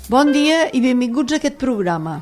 Bon dia i benvinguts a aquest programa.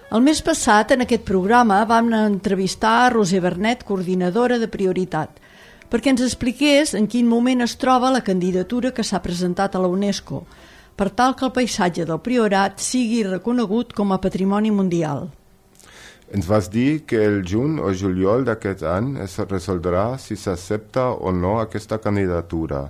El mes passat, en aquest programa, vam entrevistar a Roser Bernet, coordinadora de Prioritat, perquè ens expliqués en quin moment es troba la candidatura que s'ha presentat a la UNESCO, per tal que el paisatge del Priorat sigui reconegut com a patrimoni mundial. Ens vas dir que el juny o juliol d'aquest any es resoldrà si s'accepta o no aquesta candidatura.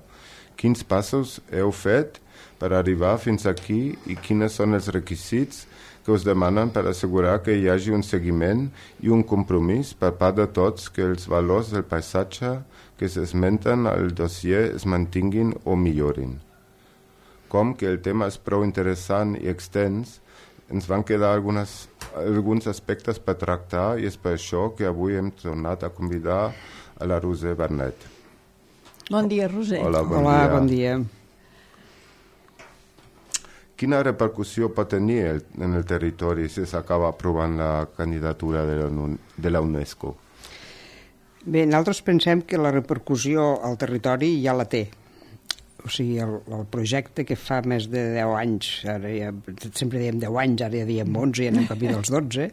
Quins passos heu fet per arribar fins aquí i quins són els requisits que us demanen per assegurar que hi hagi un seguiment i un compromís per part de tots que els valors del paisatge que s'esmenten al dossier es mantinguin o millorin. Com que el tema és prou interessant i extens, ens van quedar alguns aspectes per tractar i és per això que avui hem tornat a convidar a la Roser Bernet. Bon dia, Roser. Hola, bon dia. Quina repercussió pot tenir en el territori si s'acaba aprovant la candidatura de la UNESCO? Bé, nosaltres pensem que la repercussió al territori ja la té. O sigui, el projecte que fa més de 10 anys, ara ja, sempre dèiem 10 anys, ara ja diem 11 i anem camí dels 12,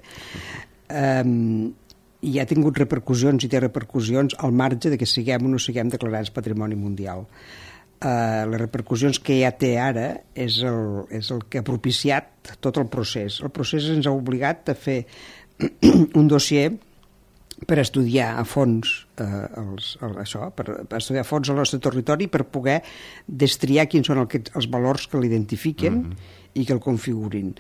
i ha tingut repercussions i té repercussions al marge de que siguem o no siguem declarats patrimoni mundial. Les repercussions que ja té ara és el que ha propiciat tot el procés. El procés ens ha obligat a fer un dossier per estudiar a fons per estudiar a fons el nostre territori, per poder destriar quins són els valors que l'identifiquen i que el configuren.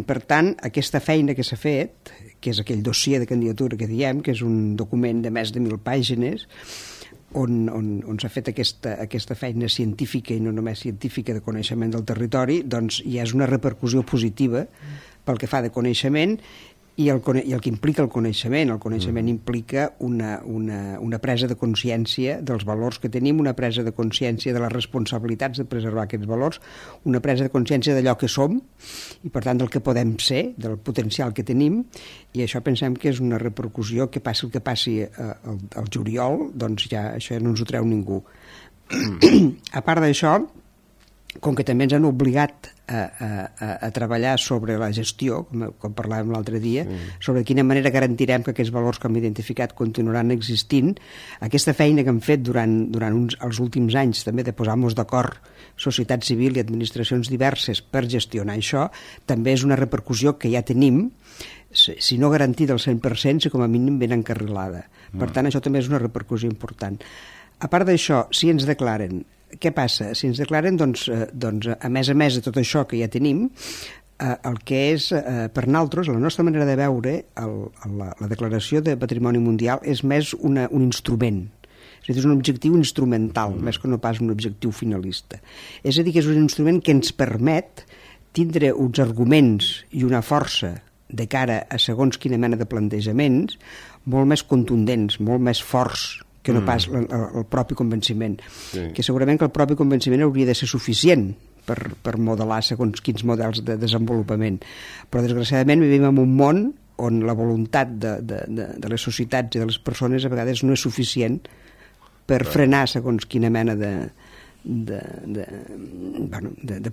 Per tant, aquesta feina que s'ha fet, que és aquell dossier de candidatura que diem, que és un document de més de 1.000 pàgines, on s'ha fet aquesta feina científica i no només científica de coneixement del territori, doncs ja és una repercussió positiva pel que fa de coneixement i el que implica el coneixement. El coneixement implica una presa de consciència dels valors que tenim, una presa de consciència de les responsabilitats de preservar aquests valors, una presa de consciència d'allò que som i, per tant, del que podem ser, del potencial que tenim, i això pensem que és una repercussió que passi el que passi al juliol, doncs ja això no ens ho treu ningú. A part d'això, com que també ens han obligat a treballar sobre la gestió, com parlàvem l'altre dia, sobre de quina manera garantirem que aquests valors que hem identificat continuaran existint, aquesta feina que hem fet durant els últims anys, també de posar-nos d'acord societat civil i administracions diverses per gestionar això, també és una repercussió que ja tenim, si no garantida al 100%, si com a mínim ben encarrilada. Per tant, això també és una repercussió important. A part d'això, si ens declaren, què passa? Si ens declaren, doncs a més de tot això que ja tenim, el que és, per nosaltres, la nostra manera de veure la declaració de Patrimoni Mundial és més un instrument. És a dir, és un objectiu instrumental, més que no pas un objectiu finalista. És a dir, que és un instrument que ens permet tindre uns arguments i una força de cara a segons quina mena de plantejaments molt més contundents, molt més forts que no pas el propi convenciment. Sí. Que segurament que el propi convenciment hauria de ser suficient per modelar segons quins models de desenvolupament. Però, desgraciadament, vivim en un món on la voluntat de les societats i de les persones a vegades no és suficient per frenar segons quina mena de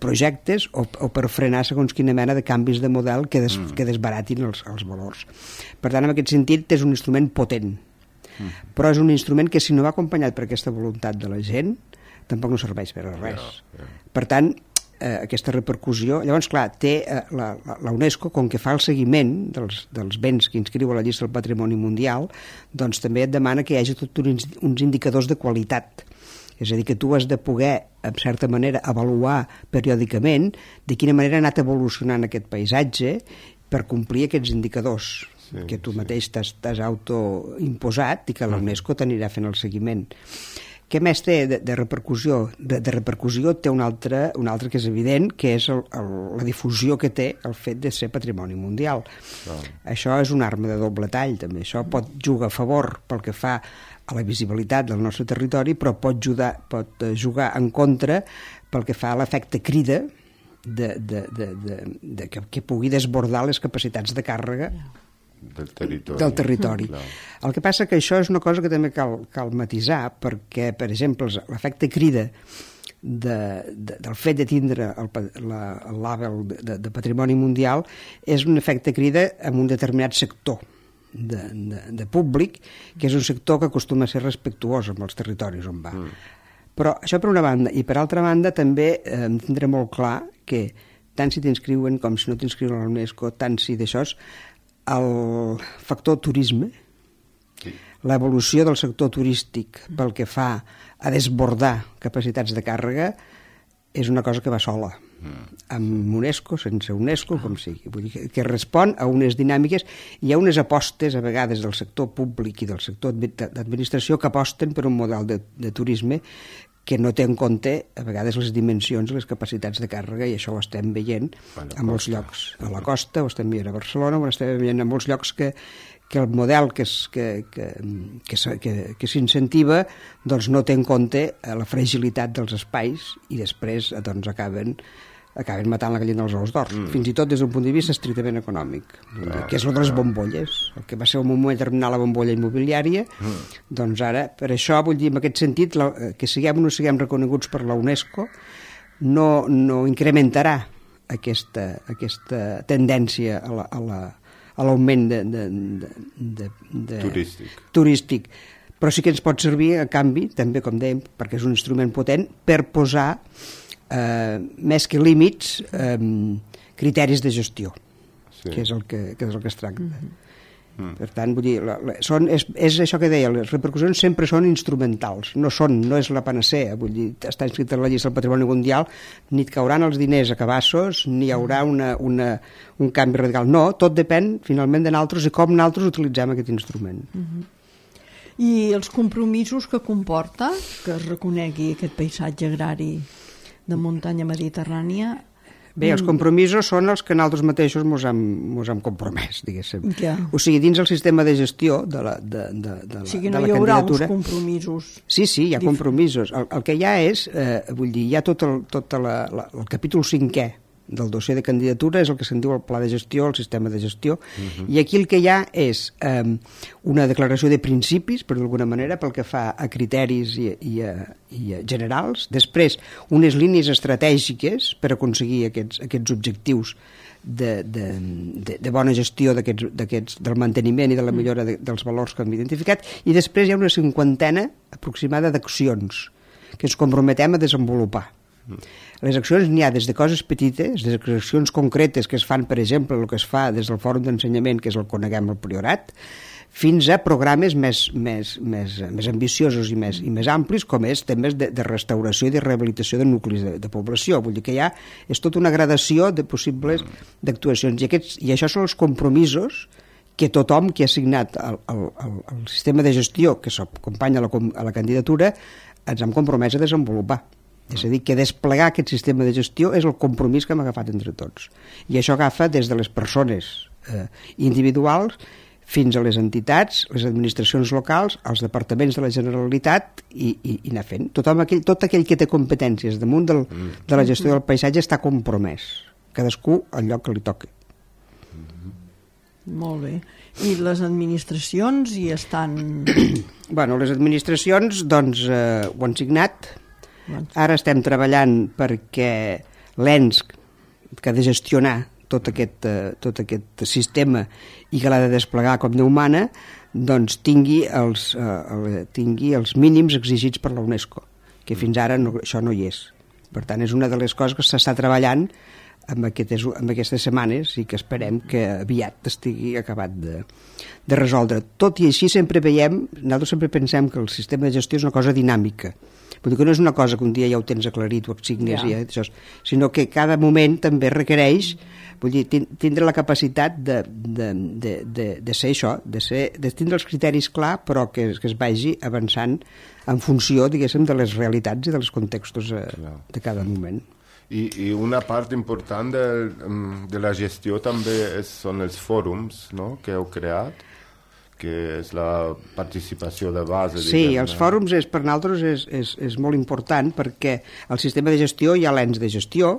projectes o per frenar segons quina mena de canvis de model que desbaratin els valors. Per tant, en aquest sentit, és un instrument potent. Però és un instrument que, si no va acompanyat per aquesta voluntat de la gent, tampoc no serveix per a res. Per tant, aquesta repercussió... Llavors, clar, té la UNESCO, com que fa el seguiment dels béns que inscriu a la llista del Patrimoni Mundial, doncs també et demana que hi hagi tots uns indicadors de qualitat. És a dir, que tu has de poder, en certa manera, avaluar periòdicament de quina manera ha anat evolucionant aquest paisatge per complir aquests indicadors que tu mateix t'has autoimposat i que la UNESCO t'anirà fent el seguiment. Què més té de repercussió? De repercussió té un altre que és evident, que és la difusió que té el fet de ser patrimoni mundial. Això és una arma de doble tall, també. Això pot jugar a favor pel que fa a la visibilitat del nostre territori, però pot jugar en contra pel que fa a l'efecte crida que pugui desbordar les capacitats de càrrega del territori. El que passa que això és una cosa que també cal matisar, perquè, per exemple, l'efecte crida del fet de tindre el label de patrimoni mundial és un efecte crida en un determinat sector de públic, que és un sector que acostuma a ser respectuós amb els territoris on va. Però això per una banda, i per altra banda també tindré molt clar que tant si t'inscriuen com si no t'inscriuen a l'UNESCO, tant si d'això és el factor turisme, l'evolució del sector turístic pel que fa a desbordar capacitats de càrrega és una cosa que va sola, amb UNESCO, sense UNESCO, com sigui. Vull dir que respon a unes dinàmiques i a unes apostes, a vegades, del sector públic i del sector d'administració que aposten per un model de turisme que no té en compte, a vegades, les dimensions i les capacitats de càrrega, i això ho estem veient a molts llocs. A la costa, ho estem veient a Barcelona, ho estem veient a molts llocs que el model que s'incentiva doncs no té en compte la fragilitat dels espais i després doncs, acaben matant la gallina dels ous d'or, fins i tot des d'un punt de vista estrictament econòmic, que és el de les bombolles, el que va ser un moment determinat la bombolla immobiliària, doncs ara, per això, vull dir, en aquest sentit, que siguem o no siguem reconeguts per la UNESCO no incrementarà aquesta tendència a l'augment turístic. Però sí que ens pot servir, a canvi, també, com dèiem, perquè és un instrument potent, per posar més que límits, criteris de gestió, que és el que es tracta. Per tant, vull dir, és això que deia, les repercussions sempre són instrumentals, no és la panacea, vull dir, està inscrit en la llista del patrimoni mundial, ni et cauran els diners a cabassos, ni hi haurà un canvi radical. No, tot depèn, finalment, de nosaltres i com nosaltres utilitzem aquest instrument. I els compromisos que comporta que es reconegui aquest paisatge agrari de muntanya mediterrània? Bé, els compromisos són els que nosaltres mateixos mos hem compromès, diguéssim. O sigui, dins el sistema de gestió de la candidatura... O sigui, no hi haurà uns compromisos... Sí, hi ha compromisos. El que hi ha és, vull dir, hi ha tot el capítol 5è del dossier de candidatura, és el que se'n diu el pla de gestió, el sistema de gestió, i aquí el que hi ha és una declaració de principis, per d'alguna manera, pel que fa a criteris i a generals, després unes línies estratègiques per aconseguir aquests objectius de bona gestió del manteniment i de la millora dels valors que hem identificat, i després hi ha una 50ena aproximada d'accions que ens comprometem a desenvolupar. Les accions n'hi ha des de coses petites, des d'accions concretes que es fan, per exemple, el que es fa des del Fòrum d'Ensenyament, que és el Coneguem el Priorat, fins a programes més ambiciosos i més amplis, com és temes de restauració i de rehabilitació de nuclis de població. Vull dir que ja és tota una gradació de possibles d'actuacions. I això són els compromisos que tothom que ha signat el sistema de gestió que s'acompanya a la candidatura ens hem compromès a desenvolupar. És a dir, que desplegar aquest sistema de gestió és el compromís que hem agafat entre tots. I això agafa des de les persones individuals fins a les entitats, les administracions locals, els departaments de la Generalitat i anar fent. Tot aquell que té competències damunt de la gestió del paisatge està compromès. Cadascú al lloc que li toqui. Molt bé. I les administracions hi estan... Bueno, les administracions doncs ho han signat. Ara estem treballant perquè l'ENS, que ha de gestionar tot aquest sistema i que l'ha de desplegar com Déu mana, doncs tingui els mínims exigits per la UNESCO, que fins ara això no hi és. Per tant, és una de les coses que s'està treballant en aquestes setmanes i que esperem que aviat estigui acabat de resoldre. Tot i així nosaltres sempre pensem que el sistema de gestió és una cosa dinàmica. Vull dir que no és una cosa que un dia ja ho tens aclarit, ho assignes, sinó que cada moment també requereix, vull dir, tindre la capacitat de ser això, de tindre els criteris clar, però que es vagi avançant en funció, diguéssim, de les realitats i dels contextos de cada moment. I una part important de la gestió també són els fòrums, no?, que heu creat, que és la participació de base. Sí, els fòrums per nosaltres és molt important perquè al sistema de gestió hi ha l'ens de gestió,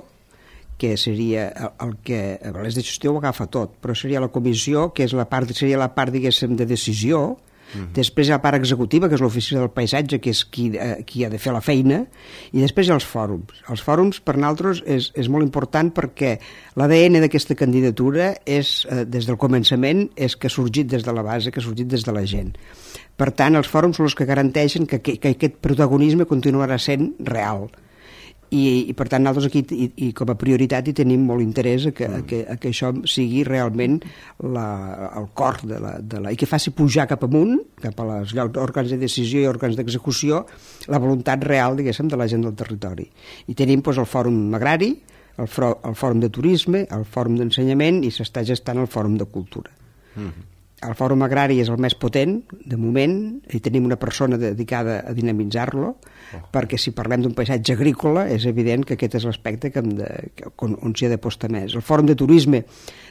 que seria el que l'ens de gestió ho agafa tot, però seria la comissió, que seria la part, diguéssim, de decisió, Després hi ha la part executiva, que és l'oficina del paisatge, que és qui ha de fer la feina, i després hi ha els fòrums. Els fòrums, per nosaltres, és molt important perquè l'ADN d'aquesta candidatura és, des del començament, és que ha sorgit des de la base, que ha sorgit des de la gent. Per tant, els fòrums són els que garanteixen que aquest protagonisme continuarà sent real. I per tant nosaltres aquí i com a prioritat hi tenim molt interès que això sigui realment el cor i que faci pujar cap amunt, cap a les òrgans de decisió i òrgans d'execució, la voluntat real, diguéssim, de la gent del territori. I tenim el fòrum agrari, el fòrum de turisme, el fòrum d'ensenyament i s'està gestant el fòrum de cultura. El fòrum agrari és el més potent, de moment, i tenim una persona dedicada a dinamitzar-lo, perquè si parlem d'un paisatge agrícola és evident que aquest és l'aspecte on s'hi ha de postar més. El fòrum de turisme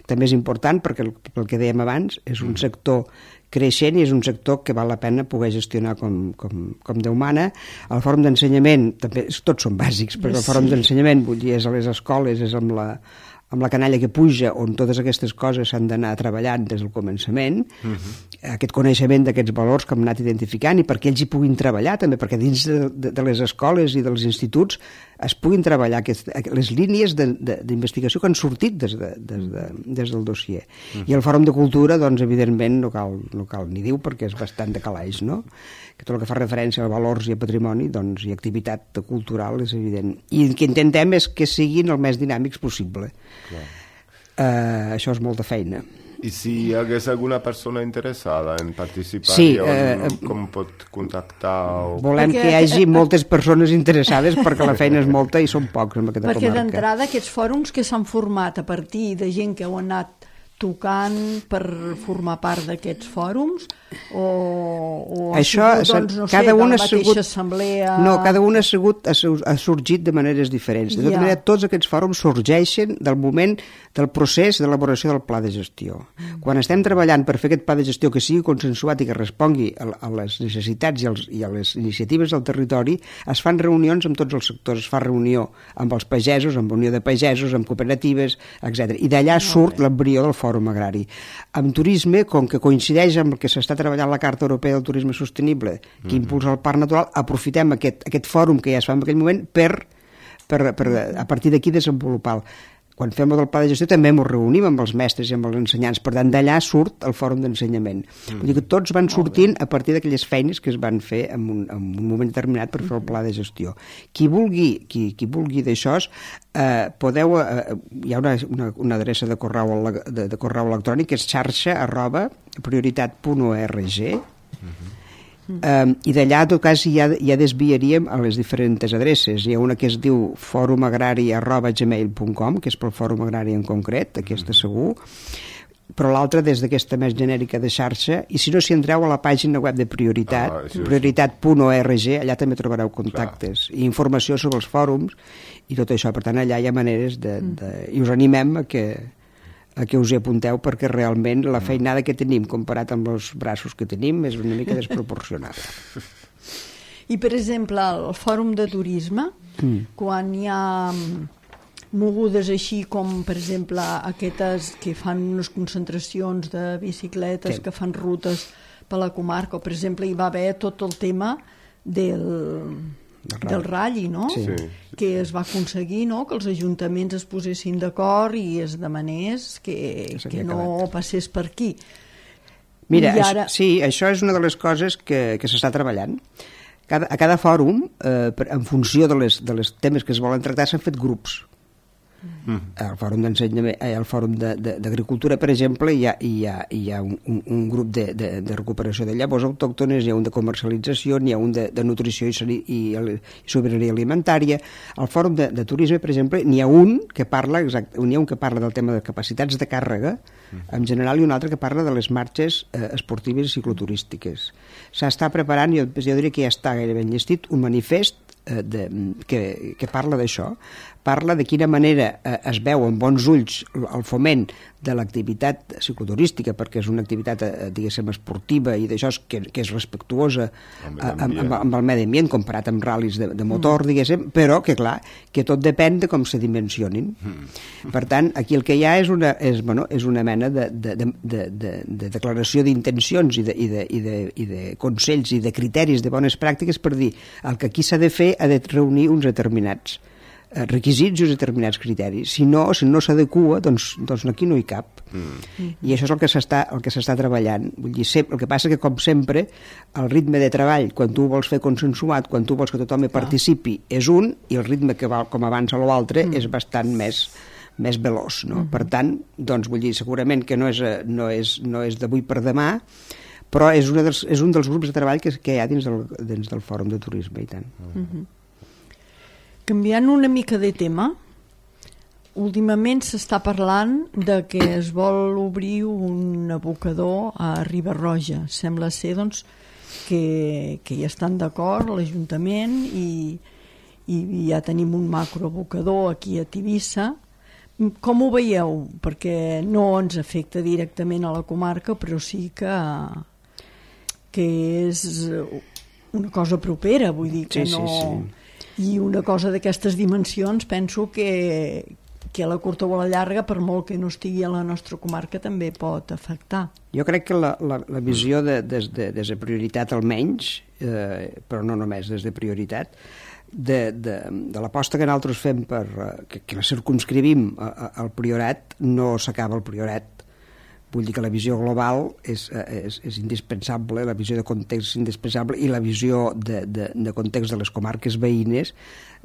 també és important perquè, pel que dèiem abans, és un sector creixent i és un sector que val la pena poder gestionar com Déu mana. El fòrum d'ensenyament, també tots són bàsics, perquè el fòrum d'ensenyament, vull dir, és a les escoles, és amb la canalla que puja, on totes aquestes coses s'han d'anar treballant des del començament, aquest coneixement d'aquests valors que hem anat identificant i perquè ells hi puguin treballar també, perquè dins de les escoles i dels instituts es puguin treballar les línies d'investigació que han sortit des del dossier. I el Fòrum de Cultura, doncs, evidentment, no cal ni dir perquè és bastant de calaix, no? Que tot el que fa referència a valors i a patrimoni, doncs, i activitat cultural és evident. I el que intentem és que siguin el més dinàmics possible. Això és molta feina. I si hi hagués alguna persona interessada en participar, com pot contactar? Volem que hi hagi moltes persones interessades perquè la feina és molta i són pocs en aquesta comarca. Perquè d'entrada aquests fòrums que s'han format a partir de gent que heu anat tocant per formar part d'aquests fòrums o això, doncs, no sé, de la mateixa assemblea... No, cada un ha sorgit de maneres diferents. De tota manera, tots aquests fòrums sorgeixen del moment del procés d'elaboració del pla de gestió. Quan estem treballant per fer aquest pla de gestió que sigui consensuat i que respongui a les necessitats i a les iniciatives del territori, es fan reunions amb tots els sectors, es fa reunió amb els pagesos, amb Unió de Pagesos, amb cooperatives, etc. I d'allà surt l'embrió del fòrum agrari. Amb turisme, com que coincideix amb el que s'està treballant la Carta Europea del Turisme Sostenible, que impulsa el Parc Natural, aprofitem aquest fòrum que ja es fa en aquell moment per a partir d'aquí desenvolupar. Quan fem el del pla de gestió també ens reunim amb els mestres i amb els ensenyants, per tant d'allà surt el fòrum d'ensenyament. Vull dir que tots van sortint a partir d'aquelles feines que es van fer en un moment determinat per fer el pla de gestió. Qui vulgui d'això, hi ha una adreça de correu electrònic que és xarxa@prioritat.org. I d'allà, en tot cas, ja desviaríem a les diferents adreces. Hi ha una que es diu forumagrari@gmail.com, que és pel fòrum agrari en concret, aquesta segur, però l'altra des d'aquesta més genèrica de xarxa, i si no, si entreu a la pàgina web de Prioritat, prioritat.org, allà també trobareu contactes i informació sobre els fòrums i tot això. Per tant, allà hi ha maneres i us animem a que us hi apunteu, perquè realment la feinada que tenim comparat amb els braços que tenim és una mica desproporcionada. I, per exemple, el fòrum de turisme, quan hi ha mogudes així com, per exemple, aquestes que fan unes concentracions de bicicletes, que fan rutes per la comarca, o, per exemple, hi va haver tot el tema del Rally, no? Sí. Que es va aconseguir, no?, que els ajuntaments es posessin d'acord i es demanés que no passés per aquí. Mira, sí, això és una de les coses que s'està treballant. A cada fòrum, en funció dels temes que es volen tractar, s'han fet grups. Al fòrum d'ensenyament, al fòrum d'agricultura, per exemple, hi ha un grup de recuperació de llavors autòctones, hi ha un de comercialització, hi ha un de nutrició i sobirania alimentària. Al fòrum de turisme, per exemple, n'hi ha un que parla del tema de capacitats de càrrega en general i un altre que parla de les marxes esportives i cicloturístiques. S'està preparant, jo diria que ja està gairebé enllestit, un manifest que parla d'això, parla de quina manera es veu amb bons ulls el foment de l'activitat cicloturística, perquè és una activitat, diguéssim, esportiva i d'això que és respectuosa amb el medi ambient, comparat amb ral·lis de motor, diguéssim, però que, clar, que tot depèn de com se dimensionin. Per tant, aquí el que hi ha és una mena de declaració d'intencions i de consells i de criteris de bones pràctiques per dir el que aquí s'ha de fer ha de reunir uns determinats requisits i uns determinats criteris. Si no s'adequa, doncs aquí no hi cap. I això és el que s'està treballant. Vull dir, el que passa que, com sempre, el ritme de treball, quan tu vols fer consensuat, quan tu vols que tothom hi participi, és un, i el ritme que va com avança l'altre és bastant més veloç, no? Per tant, doncs, vull dir, segurament que no és d'avui per demà, però és un dels grups de treball que hi ha dins del Fòrum de Turisme, i tant. Canviant una mica de tema, últimament s'està parlant de que es vol obrir un abocador a Riba-roja. Sembla ser, doncs, que hi estan d'acord l'Ajuntament i ja tenim un macroabocador aquí a Tivissa. Com ho veieu? Perquè no ens afecta directament a la comarca, però sí que és una cosa propera, vull dir que no... Sí. I una cosa d'aquestes dimensions penso que a la curta o a la llarga, per molt que no estigui a la nostra comarca, també pot afectar. Jo crec que la visió des de prioritat almenys, però no només des de prioritat, de l'aposta que nosaltres fem que la circumscrivim al Priorat, no s'acaba el Priorat. Vull dir que la visió global és indispensable, la visió de context és indispensable, i la visió de context de les comarques veïnes.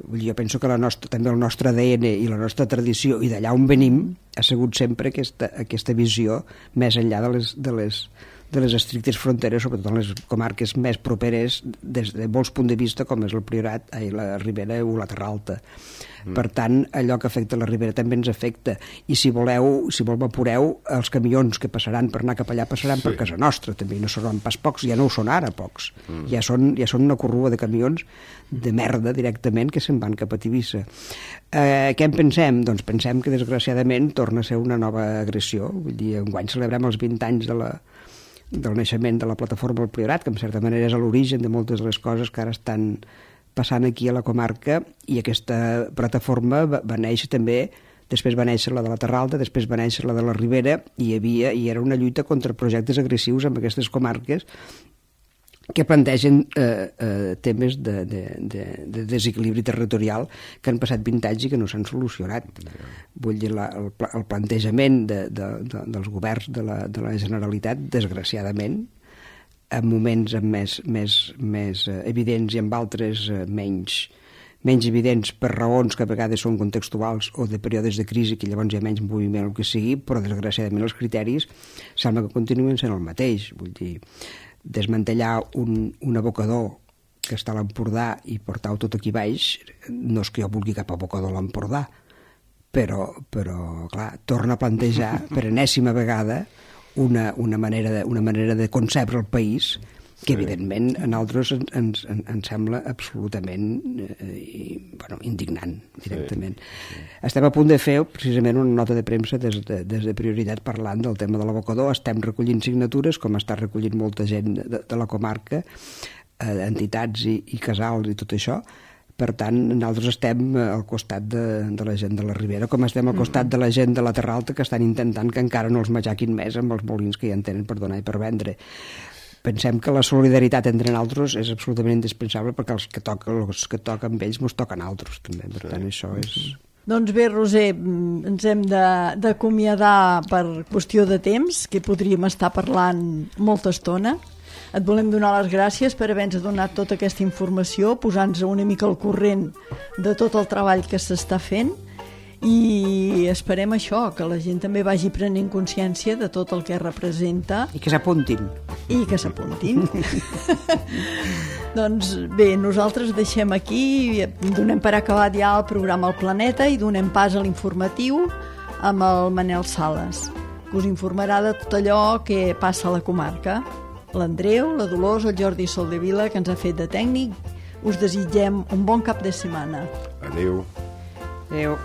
Vull dir, jo penso que també el nostre ADN i la nostra tradició, i d'allà on venim, ha sigut sempre aquesta visió més enllà de les estrictes fronteres, sobretot en les comarques més properes des de molts punts de vista, com és el Priorat, la Ribera o la Terra Alta. Per tant, allò que afecta la Ribera també ens afecta, i si m'apureu, els camions que passaran per anar cap allà passaran per casa nostra, també no seran pas pocs, ja no ho són ara pocs, ja són una corrua de camions de merda directament que se'n van cap a Tivissa. Què en pensem? Doncs pensem que desgraciadament torna a ser una nova agressió. Vull dir, enguany celebrem els 20 anys del naixement de la plataforma del Priorat, que en certa manera és l'origen de moltes de les coses que ara estan passant aquí a la comarca, i aquesta plataforma va néixer també, després va néixer la de la Terra Alta, després va néixer la de la Ribera, i era una lluita contra projectes agressius en aquestes comarques que plantegen temes de desequilibri territorial que han passat 20 anys i que no s'han solucionat. Vull dir, el plantejament dels governs de la Generalitat, desgraciadament, en moments més evidents i en altres menys evidents, per raons que a vegades són contextuals o de períodes de crisi, que llavors hi ha menys moviment o el que sigui, però desgraciadament els criteris sembla que continuen sent el mateix. Vull dir, desmantellar un abocador que està a l'Empordà i portar-ho tot aquí baix, no és que jo vulgui cap abocador a l'Empordà, però clar, torna a plantejar per enèsima vegada una manera de concebre el país que evidentment a nosaltres ens sembla absolutament indignant directament. Estem a punt de fer precisament una nota de premsa des de Prioritat parlant del tema de l'abocador. Estem recollint signatures, com està recollint molta gent de la comarca, entitats i casals i tot això. Per tant, nosaltres estem al costat de la gent de la Ribera, com estem al costat de la gent de la Terra Alta, que estan intentant que encara no els matxaquin més amb els molins que ja en tenen per donar i per vendre. Pensem que la solidaritat entre nosaltres és absolutament indispensable, perquè els que toquen amb ells mos toquen altres, també. Per tant, això és... Doncs bé, Roser, ens hem d'acomiadar per qüestió de temps, que podríem estar parlant molta estona. Et volem donar les gràcies per haver-nos donat tota aquesta informació, posant-nos una mica al corrent de tot el treball que s'està fent, i esperem això, que la gent també vagi prenent consciència de tot el que representa. I que s'apuntin. Doncs bé, nosaltres deixem aquí, donem per acabat ja el programa El Planeta i donem pas a l'informatiu amb el Manel Sales, que us informarà de tot allò que passa a la comarca. L'Andreu, la Dolors, el Jordi Soldevila, que ens ha fet de tècnic. Us desitgem un bon cap de setmana. Adéu. Adéu.